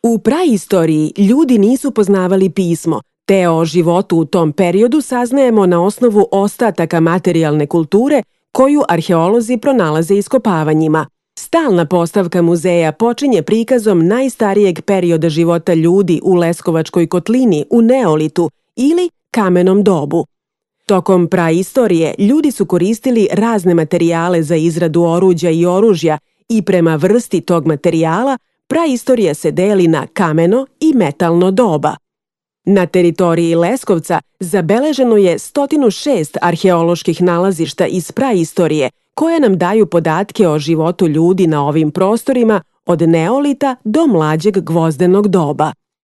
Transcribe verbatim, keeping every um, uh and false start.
U praistoriji ljudi nisu poznavali pismo, te o životu u tom periodu saznajemo na osnovu ostataka materijalne kulture koju arheolozi pronalaze iskopavanjima. Stalna postavka muzeja počinje prikazom najstarijeg perioda života ljudi u Leskovačkoj kotlini u neolitu ili kamenom dobu. Tokom praistorije ljudi su koristili razne materijale za izradu oruđa i oružja i prema vrsti tog materijala praistorija se deli na kameno i metalno doba. Na teritoriji Leskovca zabeleženo je sto šest arheoloških nalazišta iz praistorije koje nam daju podatke o životu ljudi na ovim prostorima od neolita do mlađeg gvozdenog doba.